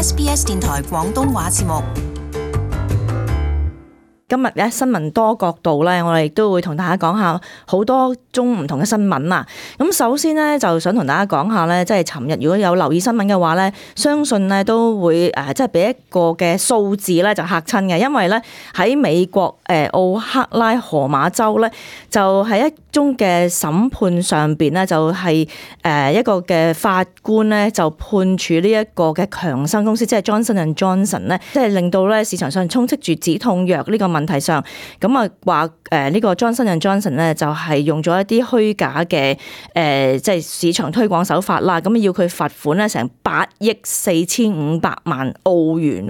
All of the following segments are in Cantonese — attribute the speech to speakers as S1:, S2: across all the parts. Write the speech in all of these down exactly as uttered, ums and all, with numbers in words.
S1: S B S 電台廣東話節目。
S2: 今日咧新聞多角度咧，我哋亦都會同大家講下好多種唔同嘅新聞啊。咁首先咧，就想同大家講下咧，即係尋日如果有留意新聞嘅話咧，相信咧都會誒，即係俾一個嘅數字咧就嚇親嘅，因為咧喺美國誒奧克拉荷馬州咧，就係一宗嘅審判上邊咧，就係誒一個嘅法官咧就判處呢一個嘅強生公司，即係 Johnson and Johnson 咧，即係令到咧市場上充斥住止痛藥呢個問題上，咁啊話誒呢個 Johnson and Johnson 咧就係用咗一啲虛假嘅誒即係市場推廣手法啦，咁要佢罰款咧成八億四千五百萬澳元，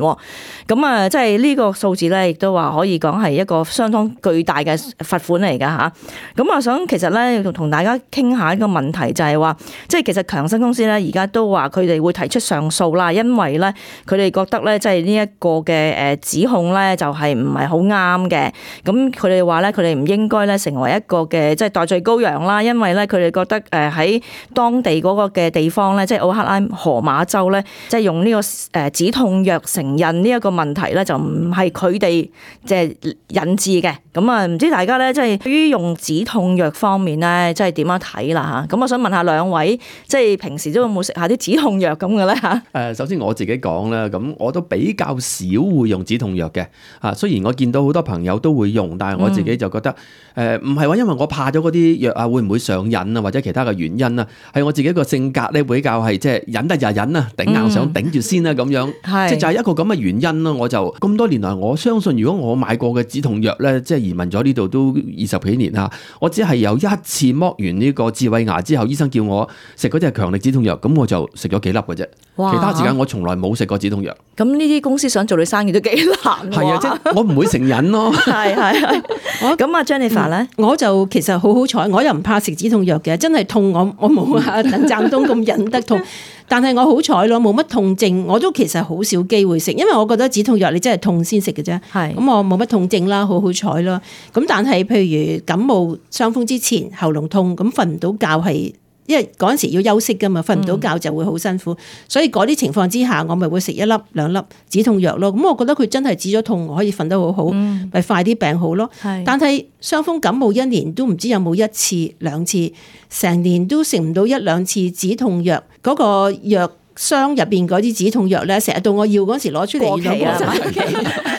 S2: 咁啊即係呢個數字咧亦都話可以講係一個相當巨大嘅罰款嚟㗎吓，咁啊想其實咧要同大家傾下一個問題，就係話即係其實強生公司咧而家都話佢哋會提出上訴啦，因為咧佢哋覺得咧即係呢一個嘅誒指控咧就係唔係好啱嘅，咁佢哋話咧佢哋唔應該咧成為一個嘅即係代罪羔羊啦，因為咧佢哋覺得誒喺當地嗰個嘅地方咧，即係奧克拉荷馬州咧，即係用呢個誒止痛藥成癮呢一個問題咧，就唔係佢哋即係引致嘅。咁啊，唔知大家咧即係對於用止痛藥方面咧，即係點樣睇啦嚇？咁我想問下兩位，即係平時都有冇食下啲止痛藥咁嘅咧嚇？
S3: 誒，首先我自己講啦，咁我都比較少會用止痛藥嘅。啊，雖然我見到好多朋友都會用，但係我自己就覺得誒唔係話因為我怕咗嗰啲藥啊，會唔會上癮啊，或者其他嘅原因啊，係我自己個性格咧比較係即係忍得就忍啊，頂硬上頂住先啦咁樣，即係就係一個咁嘅原因咯。我就咁多年來，我相信如果我買過嘅止痛藥咧，即係移民咗呢度都二十幾年啦，我只係有一次剝完呢個智慧牙之後，醫生叫我食嗰隻強力止痛藥，咁我就食咗幾粒嘅啫。其他時間我從來冇食過止痛藥。
S2: 咁呢啲公司想做你生意都幾難。
S3: 係啊，即係我唔會成癮咯。
S2: 係係係。我咁啊 Jennifer 咧、
S4: 嗯，我就其實好好彩，我又唔怕食止痛藥嘅，真係痛我我冇啊鄧湛東咁忍得痛，但係我好彩咯，冇乜痛症，我都其實好少機會食，因為我覺得止痛藥你真係痛先食嘅啫。係咁我冇乜痛症啦，好好彩咯。咁但係譬如感冒傷風之前喉嚨痛，咁瞓唔到覺係。因為嗰陣時要休息噶嘛，瞓唔到覺就會好辛苦，嗯、所以嗰啲情況之下，我咪會食一粒兩粒止痛藥咯。咁我覺得佢真係止咗痛，我可以瞓得好好，咪、嗯、快啲病好咯。是但係傷風感冒一年都唔知有冇一次兩次，成年都食唔到一兩次止痛藥，嗰、嗰個藥箱入邊嗰啲止痛藥咧，成日到我要嗰時攞出嚟過期啊！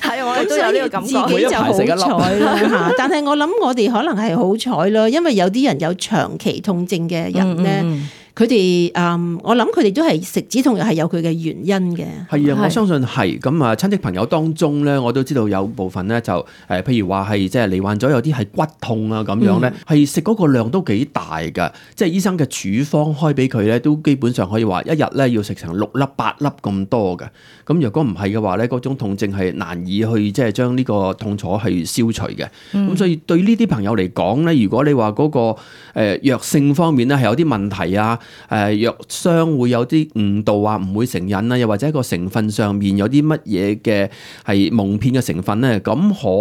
S4: 係我都有呢個感覺，自己就好彩啦嚇。但係我諗我哋可能係好彩咯，因為有啲人有長期痛症嘅人咧。嗯嗯佢哋誒，我諗佢哋都係食止痛藥係有佢嘅原因嘅。
S3: 係啊，我相信係咁啊。親戚朋友當中咧，我都知道有部分咧就誒，譬如話係即係罹患咗有啲係骨痛啊咁樣咧，係食嗰個量都幾大㗎。即係醫生嘅處方開俾佢咧，都基本上可以話一日咧要食成六粒八粒咁多嘅。咁若果唔係嘅話咧，嗰種痛症係難以去即係將呢個痛楚係消除嘅。咁、嗯、所以對呢啲朋友嚟講咧，如果你話嗰個誒藥性方面咧係有啲問題啊。誒藥商會有啲誤導啊，唔會成癮啊，又或者一個成分上面有啲乜嘢嘅係蒙騙嘅成分咧，咁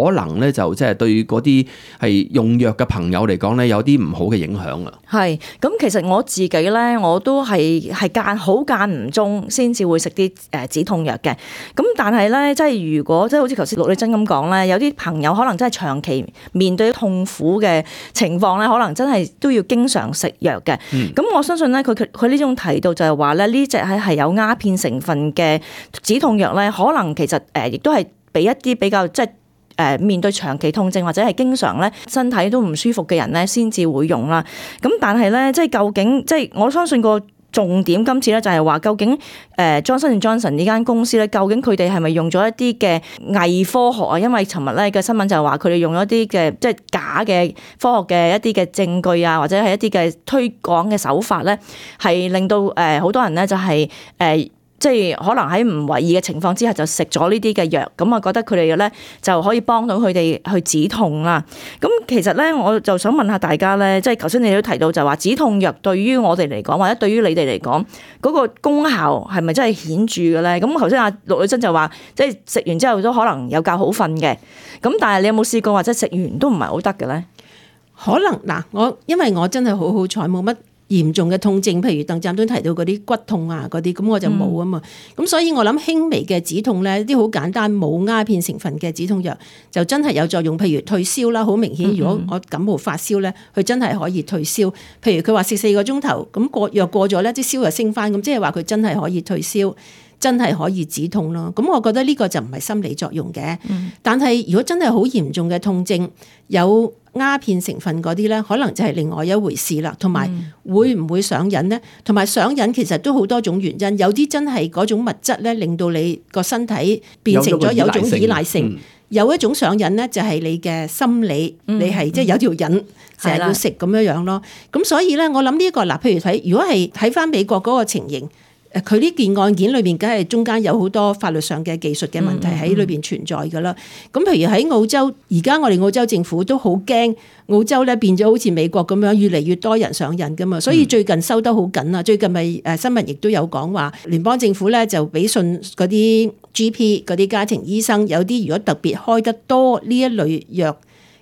S3: 可能咧就即係對嗰啲係用藥嘅朋友嚟講咧，有啲唔好嘅影響啊。
S2: 係，咁其實我自己咧，我都係係間好間唔中先至會食啲誒止痛藥嘅。咁但係咧，即係如果即係好似頭先陸麗珍咁講咧，有啲朋友可能真係長期面對痛苦嘅情況咧，可能真係都要經常食藥嘅。咁、嗯、我相信咧，佢佢呢種提到就係話咧，呢隻係係有鴉片成分嘅止痛藥咧，可能其實誒亦都係俾一啲比較即係誒面對長期痛症或者係經常咧身體都唔舒服嘅人咧，先至會用啦。咁但係咧，即係究竟即係我相信個重點今次咧就係話，究竟誒 Johnson and Johnson 呢間公司咧，究竟佢哋係咪用咗一啲嘅偽科學啊？因為尋日咧嘅新聞就係話佢哋用咗一啲嘅即係假嘅科學嘅一啲嘅證據啊，或者係一啲嘅推廣嘅手法咧，係令到誒好多人咧就係誒。即係可能喺唔為意嘅情況之下就食咗呢啲嘅藥，咁啊覺得佢哋咧就可以幫到佢哋去止痛啦。咁其實咧我就想問下大家咧，即係頭先你都提到就話止痛藥對於我哋嚟講或者對於你哋嚟講嗰個功效係咪真係顯著嘅咧？咁頭先阿陸女珍就話，即係食完之後都可能有覺好瞓嘅。咁但係你有冇試過或者食完都唔係好得嘅咧？
S4: 可能嗱，我因為我真係好好彩，冇乜嚴重嘅痛症，譬如鄧湛東提到嗰啲骨痛啊嗰啲，咁我就冇啊嘛。咁、嗯、所以我諗輕微嘅止痛咧，啲好簡單冇鴉片成分嘅止痛藥就真係有作用。譬如退燒啦，好明顯，如果我感冒發燒咧，佢真係可以退燒。譬如佢話食四個鐘頭，咁過藥過咗咧，啲燒又升翻，咁即係話佢真係可以退燒，真係可以止痛咯。咁我覺得呢個就唔係心理作用嘅。嗯、但係如果真係好嚴重嘅痛症，有鴉片成分嗰啲咧，可能就係另外一回事啦。同埋會唔會上癮咧？同埋上癮其實都好多種原因，有啲真係嗰種物質咧，令到你個身體變成咗有種依賴性。嗯、有一種上癮咧，就係你嘅心理，嗯、你係即係有條癮成日要食咁樣樣咯。咁所以咧，我諗呢一個嗱，譬如睇如果係睇翻美國嗰個情形。誒佢呢件案件裏邊，梗係中間有好多法律上嘅技術嘅問題喺裏邊存在㗎啦。咁、嗯嗯、譬如喺澳洲，而家我哋澳洲政府都好驚澳洲咧變咗好似美國咁樣，越嚟越多人上癮㗎嘛。所以最近收得好緊啊！最近咪誒新聞亦都有講話，聯邦政府咧就俾信嗰啲 G P 嗰啲家庭醫生，有啲如果特別開得多呢一類藥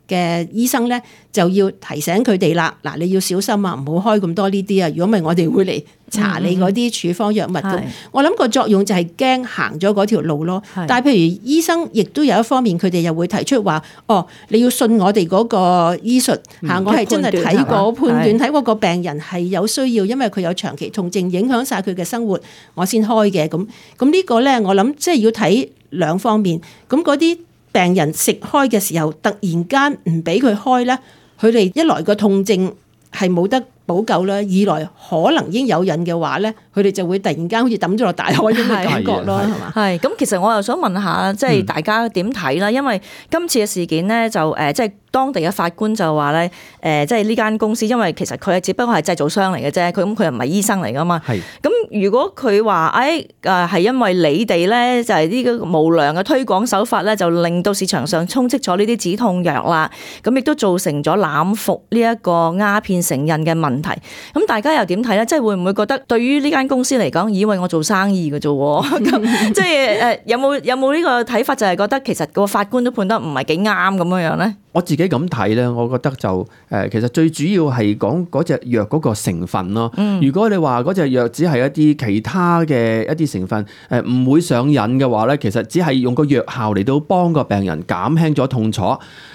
S4: 嘅醫生咧，就要提醒佢哋啦。嗱，你要小心啊，唔好開咁多呢啲啊。如果唔係，我哋會嚟查你嗰啲處方藥物咁。嗯、我諗個作用就係驚行咗嗰條路咯。是但係譬如醫生亦都有一方面，佢哋又會提出話：哦，你要信我哋嗰個醫術嚇，嗯、我係真係睇過判斷，睇過個病人係有需要，因為佢有長期痛症影響晒佢嘅生活，我先開嘅。咁咁呢個咧，我諗即係要睇兩方面。咁嗰啲病人食開嘅時候，突然間唔俾佢開咧，佢哋一來個痛症係冇得補救啦，二來可能已經有癮嘅話咧，佢哋就會突然間好似抌咗落大海咁嘅感覺咯，係嘛？係咁，
S2: 其實我又想問下，即係大家點睇啦？因為今次嘅事件咧，就誒即係當地嘅法官就話咧，誒即係呢間公司，因為其實佢係只不過係製造商嚟嘅啫，佢咁佢又唔係醫生嚟噶嘛。係咁，如果佢話誒誒係因為你哋咧就係呢個無良嘅推廣手法咧，就令到市場上充斥咗呢啲止痛藥啦，咁亦都造成咗濫服呢一個鴉片成癮嘅問題。咁大家又點睇咧？即係會唔會覺得對於呢間公司嚟講，以為我做生意嘅啫？咁即係誒有冇有冇呢個睇法？就係覺得其實個法官都判得唔係幾啱咁樣樣咧？
S3: 我自己咁睇咧，我覺得就誒其實最主要係講嗰隻藥嗰個成分咯。嗯、如果你話嗰隻藥只係一啲其他嘅一啲成分誒唔會上癮嘅話咧，其實只係用個藥效嚟到幫個病人減輕咗痛楚，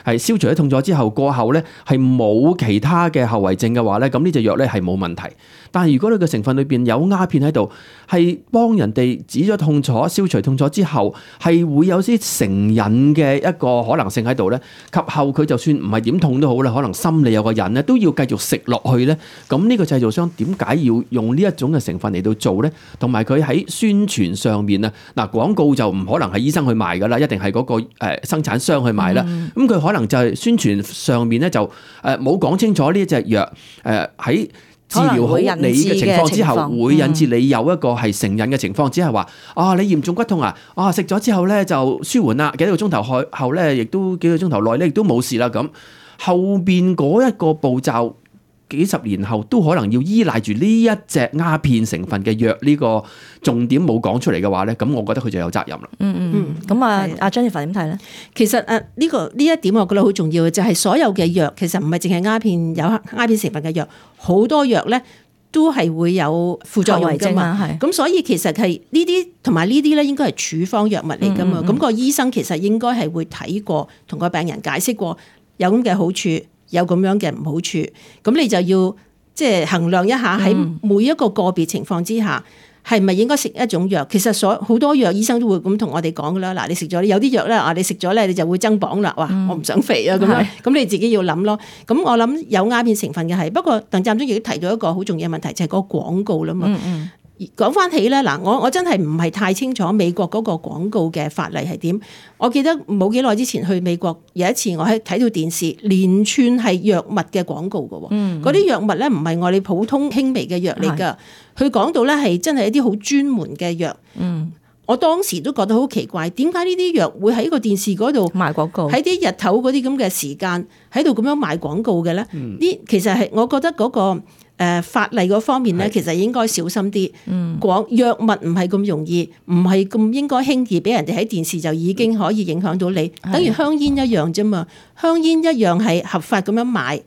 S3: 係消除咗痛楚之後過後咧係冇其他嘅後遺症嘅話咧，咁呢隻藥咧係冇問題。但係如果你個成分裏邊有鴉片喺度，係幫人哋止咗痛楚、消除痛楚之後，係會有啲成癮嘅一個可能性喺度咧。及後佢就算唔係點痛都好啦，可能心理有個癮咧，都要繼續食落去咧。咁呢個製造商點解要用呢一種嘅成分嚟到做咧？同埋佢喺宣傳上面啊，嗱廣告就唔可能係醫生去賣噶啦，一定係嗰個誒生產商去賣啦。咁佢、嗯、可能就係宣傳上面咧就誒冇講清楚呢一隻藥誒喺。治療好你嘅情況之後，會引致你有一個係成癮嘅情況，只係話啊，你嚴重骨痛啊，啊食咗之後咧就舒緩啦，幾個鐘頭後後咧，亦都幾個鐘頭內咧亦都冇事啦。咁後邊嗰一個步驟，幾十年後都可能要依賴住呢一隻鴉片成分嘅藥，呢個重點冇講出嚟嘅話咧，咁我覺得佢就有責任啦。嗯嗯，
S2: 咁啊，阿 Jennifer 點睇咧？
S4: 其實誒呢個呢一點我覺得好重要嘅，就係、是、所有嘅藥其實唔係淨係鴉片有鴉片成分嘅藥，好多藥咧都係會有副作用㗎嘛。係咁，所以其實係呢啲同埋呢啲咧，應該係處方藥物嚟㗎嘛。咁、嗯嗯、個醫生其實應該係會睇過，同個病人解釋過有咁嘅好處，有咁樣嘅唔好處，咁你就要即係衡量一下喺每一個個別情況之下，係咪應該食一種藥？其實所好多藥醫生都會咁同我哋講噶啦。嗱，你食咗有啲藥咧，啊，你食咗咧，你就會增磅啦。哇，我唔想肥啊咁樣，咁你自己要諗咯。咁我諗有鴉片成分嘅係，不過鄧湛中亦都提到一個好重要嘅問題，就係嗰個廣告啦嘛。嗯嗯講翻起咧，嗱，我我真係唔係太清楚美國嗰個廣告嘅法例係點。我記得冇幾耐之前去美國，有一次我喺睇到電視連串係藥物嘅廣告嘅，嗰啲藥物咧唔係我哋普通輕微嘅藥嚟噶，佢講到咧係真係一啲好專門嘅藥。嗯，我當時都覺得好奇怪，點解呢啲藥會喺個電視嗰度
S2: 賣廣告，
S4: 喺啲日頭嗰啲咁嘅時間喺度咁樣賣廣告嘅咧？呢、嗯、其實係我覺得嗰、嗰個。誒、呃、法例嗰方面咧，其實應該小心啲。廣藥物唔係咁容易，唔係咁應該輕易俾人哋喺電視就已經可以影響到你。等於香煙一樣啫嘛，香煙一樣係合法咁樣買，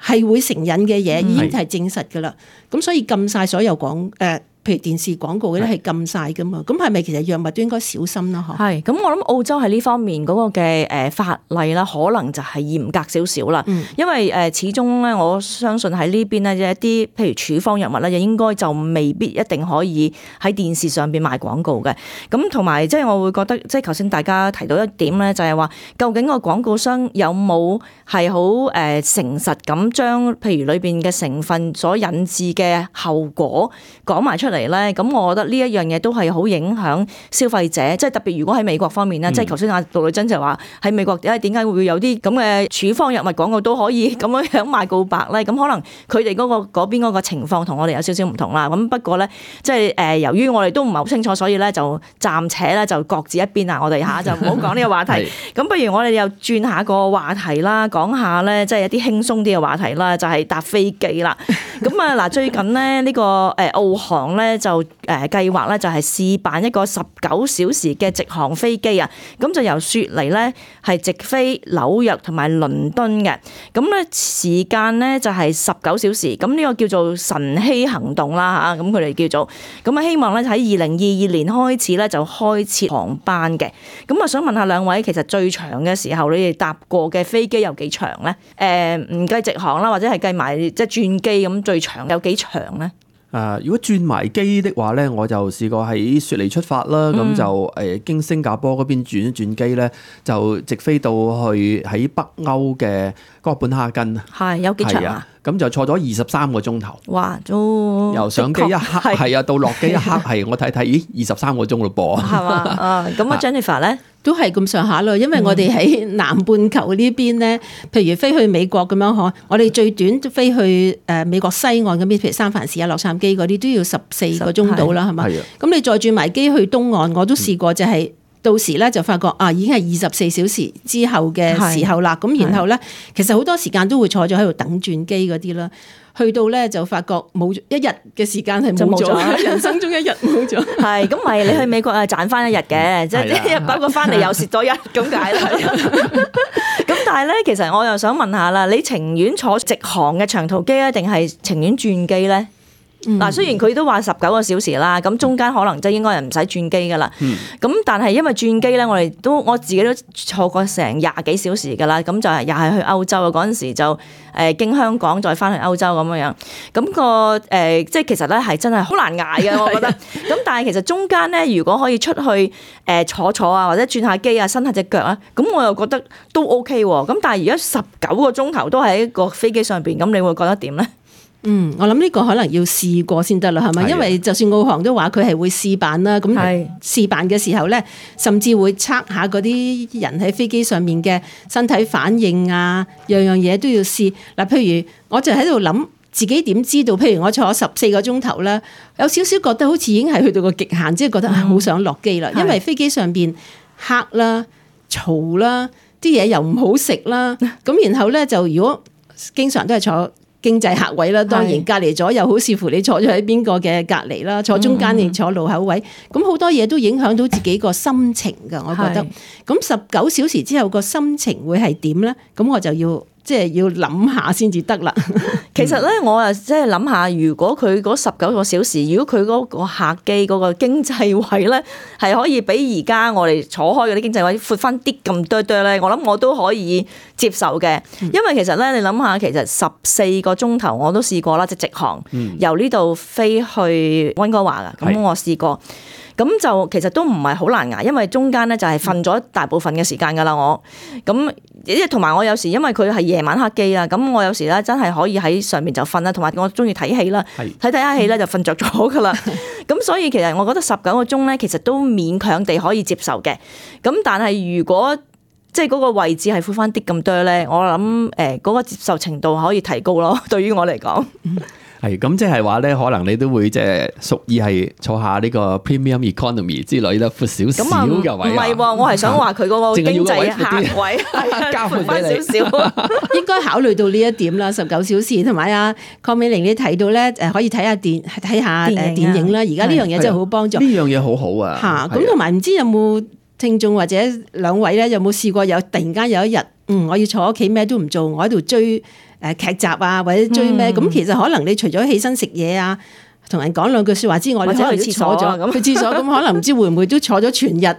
S4: 係會成癮嘅嘢，已經係證實㗎啦。咁所以禁晒所有廣誒。譬如電視廣告嗰啲係禁晒噶嘛，咁係咪其實藥物都應該小心啦？嗬，係
S2: 咁，我諗澳洲喺呢方面嗰個嘅誒法例啦，可能就係嚴格少少啦。嗯、因為誒始終咧，我相信喺呢邊咧一啲譬如處方藥物咧，應該就未必一定可以喺電視上邊賣廣告嘅。咁同埋即係我會覺得，即係頭先大家提到一點咧，就係話究竟個廣告商有冇係好誒誠實咁將譬如裏邊嘅成分所引致嘅後果講埋出嚟咧，咁我覺得呢一樣嘢都係好影響消費者，即係特別如果喺美國方面咧，嗯、即係頭先阿杜女珍就話喺美國點解點解會有啲咁嘅處方藥物廣告都可以咁樣樣賣告白咧？咁可能佢哋嗰個嗰邊嗰個情況同我哋有少少唔同啦。咁不過咧，即係誒由於我哋都唔係好清楚，所以咧就暫且咧就各自一邊啦。我哋下就唔好講呢個話題。咁不如我哋又轉下個話題啦，講下咧即係一啲輕鬆啲嘅話題啦，就係、是、搭飛機啦。咁啊嗱，最近咧呢個誒澳航咧就誒計劃咧就係試辦一個十九小時嘅直航飛機啊，咁就由雪梨咧係直飛紐約同埋倫敦嘅，咁咧時間咧就係十九小時，咁呢個叫做晨曦行動啦嚇，咁佢哋叫做，咁啊希望咧喺二零二二年開始咧就開設航班嘅，咁啊想問下兩位，其實最長嘅時候你哋搭過嘅飛機有幾長咧？誒唔計直航啦，或者係計埋即係轉機咁，最長有幾長咧？
S3: 誒、呃，如果轉埋機的話咧，我就試過喺雪梨出發啦，咁、嗯、就誒、呃、經新加坡嗰邊轉一轉機咧，就直飛到去喺北歐嘅哥本哈根。係有幾長啊？咁就坐咗二十三個鐘頭。哇！都由上機一刻係啊，到落機一刻係我睇睇，咦，二十三個鐘咯噃。係嘛？啊，咁啊 Jennifer 咧都係咁上下咯，因為我哋喺南半球呢邊咧，譬如飛去美國咁樣嗬，我哋最短飛去誒美國西岸嗰邊，譬如三藩市啊、洛杉磯嗰啲都要十四個鐘到啦，係嘛？咁你再轉埋機去東岸，我都試過就係、是。到時咧就發覺啊，已經係二十四小時之後嘅時候啦。咁然後咧，其實好多時間都會坐咗喺度等轉機嗰啲啦。去到咧就發覺冇一日嘅時間係冇咗，人生中一日冇咗。係咁，咪你去美國啊賺翻一日嘅，即係一日包括翻嚟又蝕多一咁解啦。咁但係咧，其實我又想問下啦，你情願坐直航嘅長途機咧，定係情願轉機咧？嗱，雖然佢都話十九個小時啦，咁中間可能即係應該係唔使轉機噶啦。咁、嗯、但係因為轉機咧，我哋都我自己都坐過成廿幾小時噶啦，咁就係又係去歐洲啊，嗰陣時就誒經香港再翻去歐洲咁樣樣。咁、那個誒即係其實咧係真係好難捱嘅，我覺得。咁但係其實中間咧，如果可以出去誒坐坐啊，或者轉下機啊，伸下隻腳啊，咁我又覺得都 OK 喎。咁但係而家十九個鐘頭都喺個飛機上邊，咁你會覺得點咧？嗯，我諗呢個可能要試過先得啦，係咪？因為就算澳航都話佢係會試辦啦，咁試辦嘅時候咧，甚至會測下嗰啲人喺飛機上面嘅身體反應啊，樣樣嘢都要試。嗱，譬如我就喺度諗自己點知道，譬如我坐十四個鐘頭啦，有少少覺得好似已經係去到個極限，即係覺得好想落機啦，因為飛機上邊黑啦、嘈啦，啲嘢又唔好食啦，咁然後咧就如果經常都係坐經濟客位啦，當然隔離左右好視乎你坐咗喺邊個嘅隔離啦，坐中間定坐路口位，咁好多嘢都影響到自己個心情㗎，我覺得。咁十九小時之後個心情會係點咧？咁我就要即係要諗下先至得啦。其實咧，我啊即係諗下，如果佢嗰十九個小時，如果佢嗰個客機嗰個經濟位咧，係可以比而家我哋坐開嗰啲經濟位闊翻啲咁多多咧，我諗我都可以接受嘅。因為其實咧，你諗下，其實十四個鐘頭我都試過啦，即係直航、嗯、由呢度飛去溫哥華噶，咁我試過。咁就其實都唔係好難捱，因為中間咧就係瞓咗大部分嘅時間㗎啦，我咁即係同埋我有時因為佢係夜晚黑機啦，咁我有時咧真係可以喺上面就瞓啦，同埋我中意睇戲啦，睇睇下戲咧就瞓着咗㗎啦。咁所以其實我覺得十九個鐘咧，其實都勉強地可以接受嘅。咁但係如果即係嗰個位置係闊翻啲咁多咧，我諗誒嗰個接受程度可以提高咯。對於我嚟講。係咁，即係話咧，可能你都會即係屬意係坐下呢個 premium economy 之類啦，闊少少嘅位。唔係喎，我係想話佢嗰個經濟客位加闊翻少少，應該考慮到呢一點啦。十九小時同埋啊，鄺美玲你提到咧，誒可以睇下電睇下誒電影啦。而家呢樣嘢真係好幫助。呢樣嘢好好啊！嚇，咁同埋唔知有冇聽眾或者兩位咧，有冇試過有突然間有一日，嗯，我要坐屋企咩都唔做，我喺度追
S4: 誒劇集啊，或者追咩？咁、嗯、其實可能你除咗起身食嘢啊，同人講兩句説話之外，你可能去廁所咗，去廁所咁可能唔知會唔會都坐咗全日。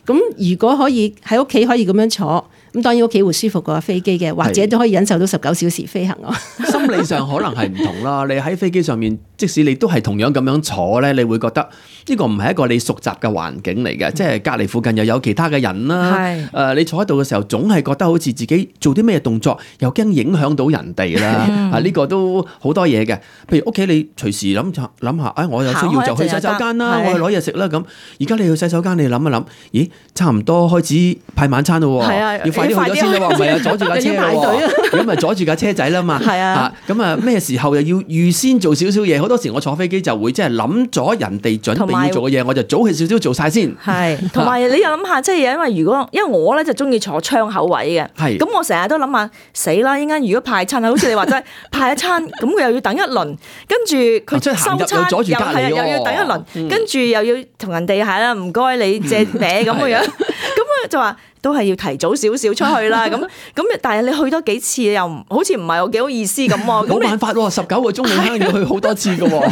S4: 咁如果可以喺屋企可以咁樣坐。咁當然屋企會舒服過飛機嘅，或者都可以忍受到十九小時飛行咯。
S3: 心理上可能係唔同啦。你喺飛機上面，即使你都係同樣咁樣坐咧，你會覺得呢個唔係一個你熟習嘅環境嚟嘅，嗯、即係隔離附近又有其他嘅人啦。誒是、呃，你坐喺度嘅時候，總係覺得好似自己做啲咩動作，又驚影響到人哋啦。嗯、啊，呢、呢個都好多嘢嘅。譬如屋企你隨時諗諗下，誒、哎，我有需要就去洗手間啦，我去攞嘢食啦咁。而家你去洗手間，你諗一諗，咦，差唔多開始派晚餐咯喎，啊、要快啲去咗先啦喎。唔係啊，阻住架車喎，咁咪阻住架車仔啦嘛。係啊，咁啊咩時候又要預先做少少嘢？好多時我坐飛機就會即係諗咗人哋準備要做嘅嘢，我就早起少少做晒先。係，
S2: 同埋你又諗下，即係因為如果因為我咧就中意坐窗口位嘅，係，咁我成日都諗下死啦！依家如果派餐啊，好似你話齋派一餐，咁佢又要等一輪，跟住佢收餐又係又要等一輪，跟住又要同人哋係啦，唔該你借名咁嘅樣，咁啊就話。都係要提早少少出去啦，咁咁但係你去多幾次又唔好似唔係有幾好意思咁喎。冇辦
S3: 法喎，十九個鐘你肯定要去好多次㗎喎。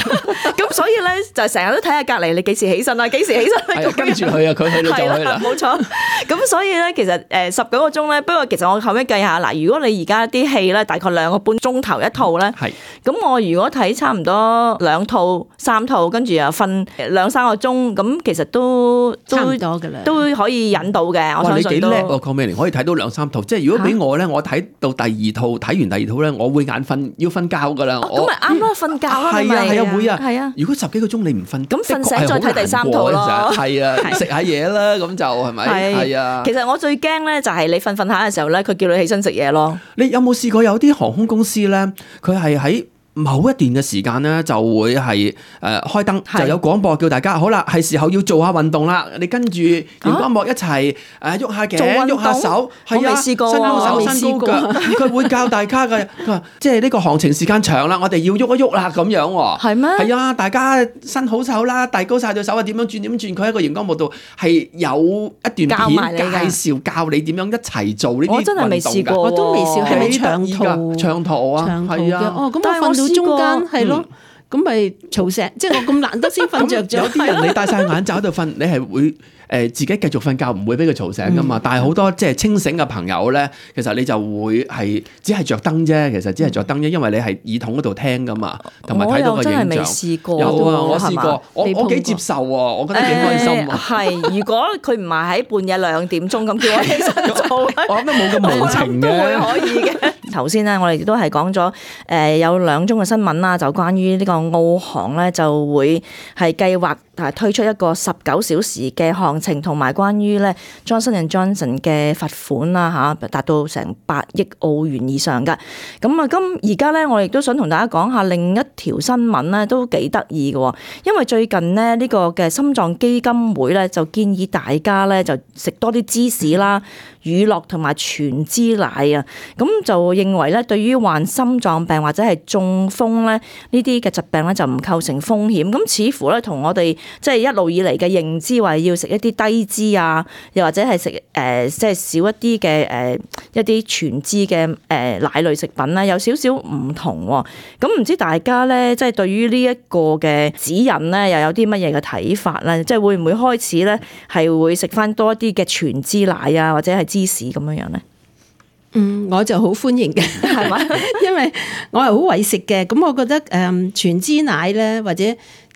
S2: 咁所以咧就成日都睇下隔離你幾時起身啦，幾時起身。
S3: 係跟住去啊，佢去你就去啦。
S2: 冇錯。咁所以咧其實誒十九個鐘咧，不過其實我後尾計下嗱，如果你而家啲戲咧大概兩個半鐘頭一套咧，係咁我如果睇差唔多兩套三套，跟住又瞓兩三個鐘，咁其實都
S4: 差唔多㗎啦，
S2: 都可以引到嘅。我相信。
S3: 叻喎，鄺美玲可以睇到兩三套，即係如果俾我咧，我睇到第二套，睇完第二套咧，我會眼瞓，要瞓覺噶啦。
S2: 咁咪啱咯，瞓覺咯，係
S3: 啊係啊會啊。
S2: 係啊，
S3: 如果十幾個鐘你唔瞓，
S2: 咁瞓醒再睇第三套咯。
S3: 係啊，食下嘢啦，咁就係咪？係啊。
S2: 其實我最驚咧，就係你瞓瞓下嘅時候咧，佢叫你起身食嘢咯。
S3: 你有冇試過有啲航空公司咧，佢係喺某一段嘅時間咧，就會係誒、呃、開燈，是就有廣播叫大家好啦，係時候要做下運動啦。你跟住熒光幕一齊誒喐下頸、喐下手，係啊，
S2: 我未試過，
S3: 伸高手、伸高腳，佢會教大家嘅。佢話即係呢個行程時間長啦，我哋要喐一喐啦咁樣喎。係咩嗎？係啊，大家伸好手啦，遞高晒對手啊，點樣轉點轉？佢喺個熒光幕度係有一段片介紹教你點樣一齊做呢啲運動㗎。我真係未試過，
S4: 我都未試過，係咪長途？
S3: 長途啊，
S4: 長途嘅。哦，咁
S2: 但係我
S4: 中間係咯，咁咪嘈醒，即係我咁難得先瞓着咗。
S3: 有啲人你戴晒眼罩喺度瞓，你係會誒自己繼續瞓覺，唔會俾佢嘈醒噶嘛。嗯、但係好多即係清醒嘅朋友咧，其實你就會係只係着燈啫，其實只係着燈啫，因為你係耳筒嗰度聽噶嘛，同埋睇到個影像。我真係未試過。有啊，我試過，我我幾接受喎，我覺得幾開心啊。係、
S2: 呃，如果佢唔係喺半夜兩點鐘咁叫我起身做，
S3: 我諗都冇咁無情嘅。
S2: 都會可以嘅。頭先咧，我哋都係講咗誒有兩宗嘅新聞啦，就關於呢個澳航咧就會係計劃誒推出一個十九小時嘅航程，同埋關於咧 Johnson and Johnson 嘅罰款啦嚇，達到成八億澳元以上嘅。咁啊，今而家咧，我亦都想同大家講下另一條新聞咧，都幾得意嘅，因為最近呢，呢個嘅心臟基金會咧就建議大家咧就食多啲芝士啦、乳酪同埋全脂奶啊，咁就認為咧對於患心臟病或者係中風咧呢啲嘅疾病咧就唔構成風險，咁似乎咧同我哋即係一路以嚟嘅認知話要食一啲低脂啊，又或者係食誒即係少一啲嘅誒一啲全脂嘅誒奶類食品咧有少少唔同喎，咁唔知大家咧即係對於呢一個嘅指引咧又有啲乜嘢嘅睇法咧？即係會唔會開始咧係會食翻多一啲嘅全脂奶啊，或者係芝士咁樣樣咧？
S4: 嗯，我就好歡迎嘅，係嘛？因為我係好為食嘅，咁我覺得誒全脂奶咧，或者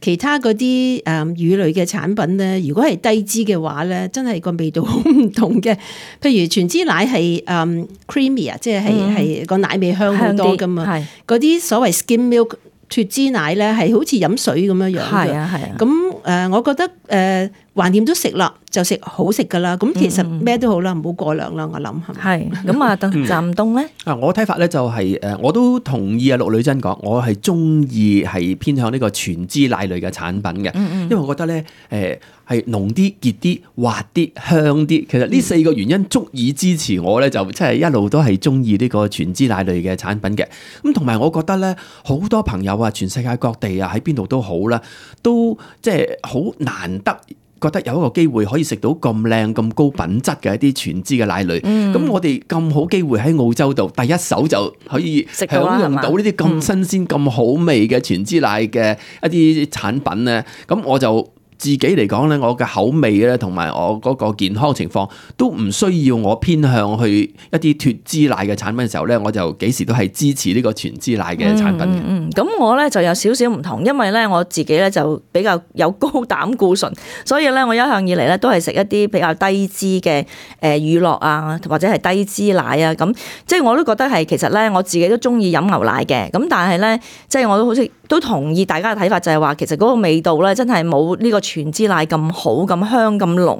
S4: 其他嗰啲誒乳類嘅產品咧，如果係低脂嘅話咧，真係個味道好唔同嘅。譬如全脂奶係誒 creamy 啊，即係係係個奶味香好多噶嘛。係嗰啲所謂 skim milk 脫脂奶咧，係好似飲水咁樣樣嘅。係啊係啊。咁誒，我覺得誒橫掂都食啦。就食好食噶啦，咁其實咩都好啦，唔好過量啦，我諗係。係咁啊，鄧湛東咧？啊，
S3: 我睇法咧就係誒，我都同意啊，陸女真講，我係中意係偏向呢個全脂奶類嘅產品嘅，嗯嗯因為我覺得咧誒係濃啲、結啲、滑啲、香啲。其實呢四個原因足以支持我咧，就即係一路都係中意呢個全脂奶類嘅產品嘅。咁同埋我覺得咧，好多朋友啊，全世界各地啊，喺邊度都好啦，都即係好難得。覺得有一個機會可以食到咁靚咁高品質嘅一啲全脂嘅奶類，咁、嗯、我哋咁好機會喺澳洲度第一手就可以享用到呢啲咁新鮮咁、嗯、好味嘅全脂奶嘅一啲產品咧，咁我就自己嚟講咧，我嘅口味咧同埋我嗰個健康情況都唔需要我偏向去一啲脫脂奶嘅產品嘅時候咧，我就幾時都係支持呢個全脂奶嘅產品嘅。
S2: 嗯，咁、嗯、我咧就有少少唔同，因為咧我自己咧就比較有高膽固醇，所以咧我一向以嚟咧都係食一啲比較低脂嘅誒乳酪啊，或者係低脂奶啊，咁即係我都覺得係其實咧我自己都中意飲牛奶嘅，咁但係咧即係我都好似都同意大家嘅睇法，就係話其實嗰個味道咧真係冇呢個全脂奶咁好、咁香、咁濃。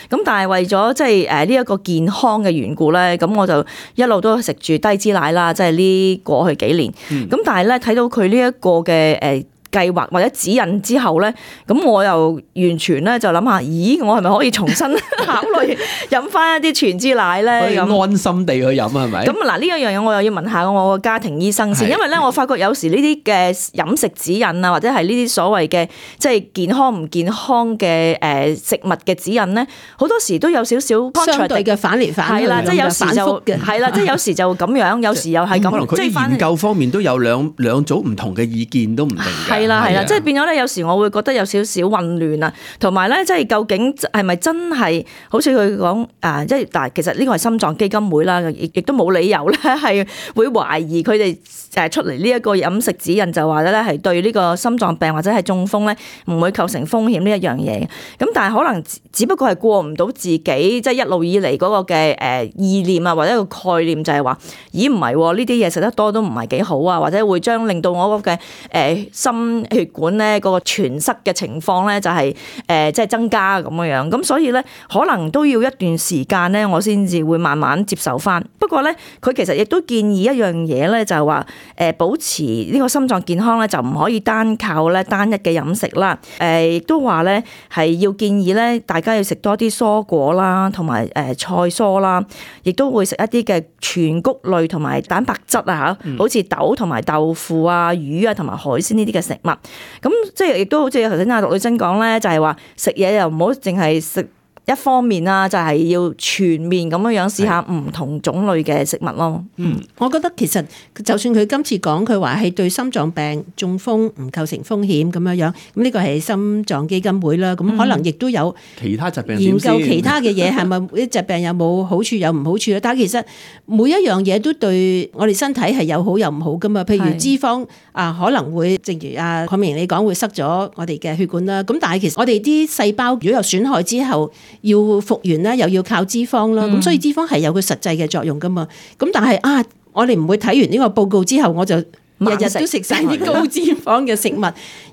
S2: 咁但係為咗即係誒呢一個健康嘅緣故咧，咁我就一路都食住低脂奶啦，即係呢過去幾年。咁、嗯、但係咧睇到佢呢一個嘅誒計劃或者指引之後咧，咁我又完全咧就諗下，咦，我係咪可以重新考慮飲翻一啲全脂奶咧？咁
S3: 安心地去飲係咪？
S2: 咁嗱呢一樣嘢我又要問下我個家庭醫生先，因為咧我發覺有時呢啲嘅飲食指引啊，或者係呢啲所謂嘅即係健康唔健康嘅誒食物嘅指引咧，好多時都有少少
S4: 相對嘅反嚟反去，
S2: 係啦，即係有時就係啦，即係有時就咁樣，有時又係咁。
S3: 可能佢研究方面都有兩兩組唔同嘅意見都唔定嘅。
S2: 係啦係啦，即係變咗咧，有時我會覺得有少少混亂啊，同埋咧，即係究竟係咪真係好似佢講啊？即係嗱，其實呢個係心臟基金會啦，亦亦都冇理由咧係會懷疑佢哋誒出嚟呢一個飲食指引就話咧係對呢個心臟病或者係中風咧唔會構成風險呢一樣嘢。咁但係可能只不過係過唔到自己即係一路以嚟嗰個嘅誒意念啊，或者一個概念就係話，咦唔係呢啲嘢食得多都唔係幾好啊，或者會將令到我個嘅誒心血管咧嗰個栓塞嘅情況咧就係誒即係增加咁樣樣，咁所以咧可能都要一段時間咧，我先至會慢慢接受翻。不過咧，佢其實亦都建議一樣嘢咧，就係話誒保持呢個心臟健康咧，就唔可以單靠咧單一嘅飲食啦。誒亦都話咧係要建議咧，大家要食多啲蔬果啦，同埋誒菜蔬啦，亦都會食一啲嘅全穀類同埋蛋白質啊嚇，好似豆同埋豆腐啊、魚啊同埋海鮮呢啲嘅食物。咁即係亦都好似頭先阿陸女珍講咧，就係話食嘢又唔好淨係食一方面啦，就係要全面咁樣樣試下唔同種類嘅食物咯。
S4: 嗯，我覺得其實就算佢今次講佢話係對心臟病、中風唔構成風險咁樣樣，咁呢個係心臟基金會啦。咁可能亦都有
S3: 其他疾病
S4: 研究其他嘅嘢，係咪啲疾病有冇好處有唔好處咧？但係其實每一樣嘢都對我哋身體係有好有唔好噶嘛。譬如脂肪啊，可能會正如阿鄺美瑩你講會塞咗我哋嘅血管啦。咁但係其實我哋啲細胞如果有損害之後，要復原咧，又要靠脂肪啦，咁、嗯、所以脂肪係有佢實際嘅作用噶嘛。咁但係啊，我哋唔會睇完呢個報告之後，我就日日都食晒啲高脂肪嘅食物，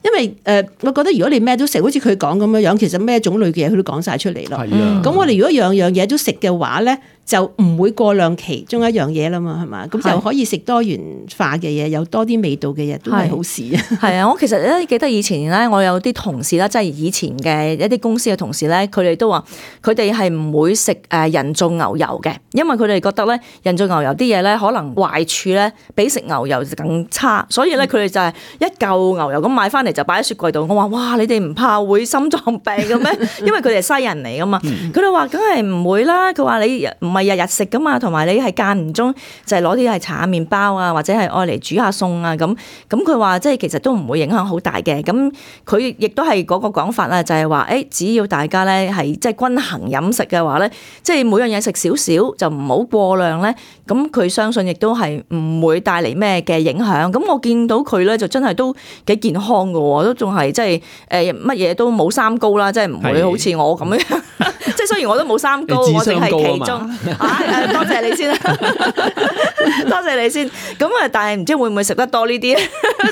S4: 因為誒、呃，我覺得如果你咩都食，好似佢講咁樣樣，其實咩種類嘅嘢佢都講晒出嚟咯。咁、嗯、我哋如果樣樣嘢都食嘅話咧，就唔會過量其中一樣嘢啦嘛，係嘛？咁就可以食多元化嘅嘢，有多啲味道嘅嘢，都係好事啊！
S2: 係啊，我其實咧記得以前咧，我有啲同事啦，即係以前嘅一啲公司嘅同事咧，佢哋都話佢哋係唔會食誒人造牛油嘅，因為佢哋覺得咧人造牛油啲嘢咧可能壞處咧比食牛油更差，所以咧佢哋就係一嚿牛油咁買翻嚟就擺喺雪櫃度。我話哇，你哋唔怕會心臟病嘅咩？因為佢哋係西人嚟噶嘛，佢哋話梗係唔會啦。佢話你唔係日日食噶嘛，同埋你係間唔中就係攞啲係搽下麵包啊，或者係愛嚟煮下餸啊咁。咁佢話即係其實都唔會影響好大嘅。咁佢亦都係嗰個講法啦，就係話誒，只要大家咧係即係均衡飲食嘅話咧，即係每樣嘢食少少就唔好過量咧。咁佢相信亦都係唔會帶嚟咩嘅影響。咁我見到佢咧就真係都幾健康㗎喎，都仲係即係誒乜嘢都冇三高啦，即係唔會好似我咁樣。即係雖然我都冇三高，我哋係其中啊！多謝你先啦，多謝你先。咁啊，但係唔知會唔會食得多呢啲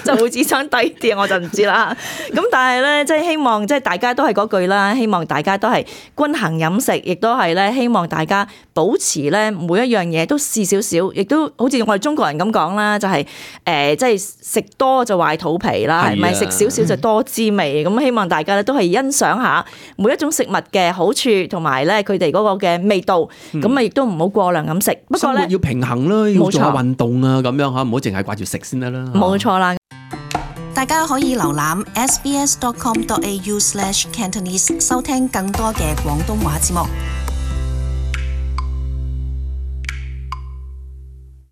S2: 就會智商低啲，我就唔知啦。咁但係咧，即係希望即係大家都係嗰句啦，希望大家都係均衡飲食，亦都係咧希望大家保持咧每一樣嘢都試少少，亦都好似我哋中國人咁講啦，就係誒即係食多就壞肚皮啦，係咪？食少少就多滋味。咁希望大家咧都係欣賞下每一種食物嘅好處，同埋咧佢哋嗰個嘅味道。咁啊亦都唔好過量咁食。不過咧
S3: 要平衡啦，要做下運動啊，咁樣嚇，唔好淨係掛住食先得啦。
S2: 冇錯啦。
S1: 大家可以瀏覽 s b s dot com dot a u slash cantonese 收聽更多嘅廣東話節目。